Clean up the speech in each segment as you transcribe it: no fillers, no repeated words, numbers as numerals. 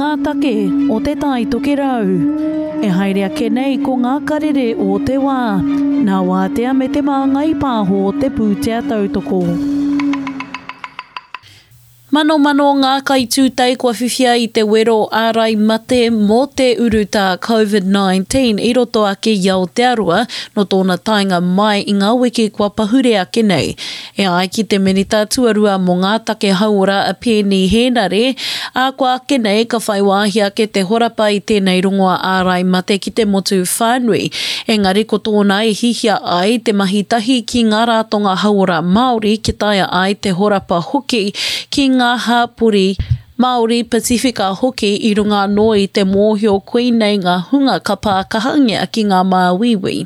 ngā take o Te Tai Tokerau. E haere ake nei ko ngā karere o te wā, nā Wātea me Te Māngai Pāho te pūtea tautoko. Manomano ngā kaitūtei kua whiwhia i te wero ārai mate mō te urutā Covid-19 i roto ake i Aotearoa nō tōna taenga mai i ngā wiki kua pahure ake nei. E ai ki te Minita Tuarua mō ngā Take Hauora a Peeni Hēnare, ā, kua ake nei ka whai wāhi ake te horapa i tēnei rongoa ārai mate ki te motu whānui. Engari ko tōna e hihia ai te mahi tahi ki ngā rātonga hauora Māori kia taea ai te horapa hoki ki ngā hāpori Māori, Pasifika hoki i runga anō i te mōhio koinei ngā hunga ka pā kahangia ki ngā māuiui.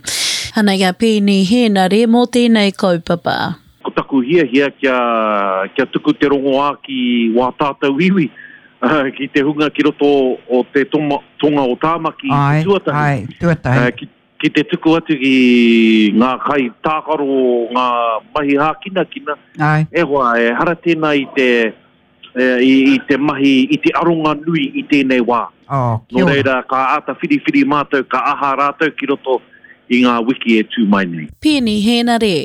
Anei a Peeni Hēnare mō tēnei kaupapa. Ko taku hiahia kia, kia tuku te rongoā ki wā tātou iwi, ki te hunga ki roto o te tonga o Tāmaki i te tuatahi. Āe, āe, tuatahi. Ki, ki te tuku atu ki ngā kai tākaro o ngā mahi hākinakina, e hoa, ehara tēnā i te, i, i te mahi, i te aronga nui i tēnei wā. Oh, kia Nō reira, ka āta whiriwhiri mātou, ka aha rātou ki roto i ngā wiki e tū mai nei. Peeni Hēnare.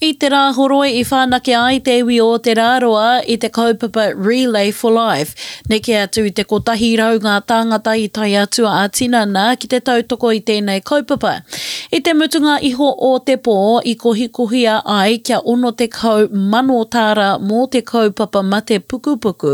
I te Rāhoroi i whanake ai te iwi o Te Rāroa i te kaupapa Relay for Life. Neke atu i te 100 ngā tāngata i tae atu ā-tinana ki te tautoko i tēnei kaupapa. I te mutunga iho o te pō, i kohikohia ai kia 60,000 tāra mō te kaupapa mate pukupuku,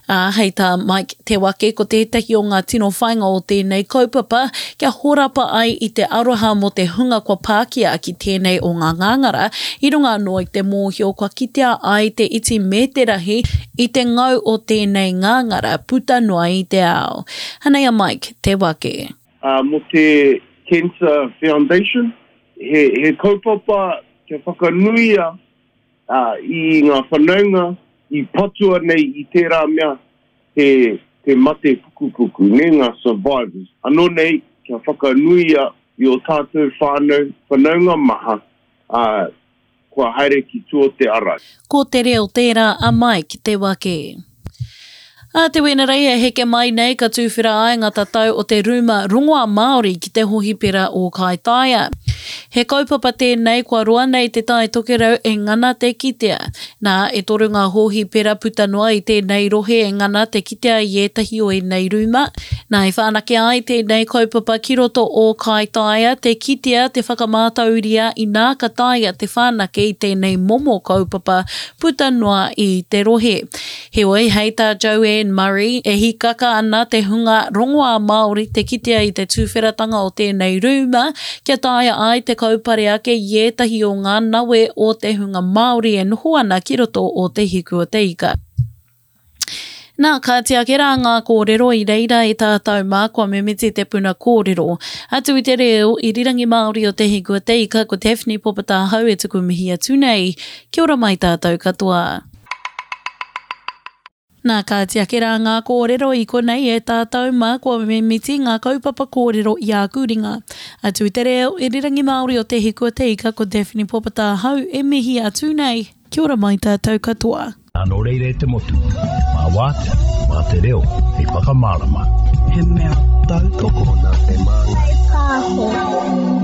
ā, hei tā Mike Te Wake ko tētahi o ngā tino whāinga o tēnei kaupapa kia horapa ai i te aroha mō te hunga kua pākia ki tēnei o ngā ngāngara, i runga anō i te mōhio kua kitea ai te iti me te rahi i te ngau o tēnei ngāngara puta noa i te ao. Anei a Mike Te Wake. Mō te Cancer Foundation, he, he kaupapa kia whakanuia i ngā whanaunga i patua nei i tērā mea te, te mate pukupuku, nē, ngā survivors. Anō nei, kia whakanuia i ō tātou whānau, whanaunga maha, ā, kua haere ki tua o te ara. Ko te reo tērā a Mike Te Wake. Ā te Wenerei e heke mai nei ka tūwhera ai ngā tatau o te rūma rongoā Māori ki te hohipera o Kaitaia. He kaupapa tēnei kua roa nei Te Tai Tokerau e ngana te kitea. Nā, e toru ngā hōhipera puta noa i tēnei rohe e ngana te kitea i ētahi o ēnei rūma. Nā, i whanake ai tēnei kaupapa ki roto o Kaitaia te kitea te whakamātauria inā ka taea te whanake i tēnei momo kaupapa puta noa i te rohe. Heoi, hei tā Joanne Murray, e hīkaka ana te hunga rongoā Māori te kitea i te tūwheratanga o tēnei rūma kia taea ai te kaupare ake i ētahi o ngā nawe o te hunga Māori e noho ana ki roto o Te Hiku o te Ika. Nā, kāti ake rā ngā kōrero i reira e tātou mā kua mimiti te puna kōrero. Atu i te reo irirangi Māori o Te Hiku o te Ika, ko Daphne Popatahau e tuku mihi atu nei. Kia ora mai tātou katoa. Nā, kāti ake rā ngā kōrero i konei e tātou mā kua mimiti ngā kaupapa kōrero i āku ringa. Atu i te reo irirangi Māori o Te Hiku o te Ika ko Daphne Popatahau e mihi atu nei. Kia ora mai tātou katoa. Nō reira e te motu, mā Wātea, mā te reo hei whakamārama. He mea tautoko. Tokona te māngai. Pāho.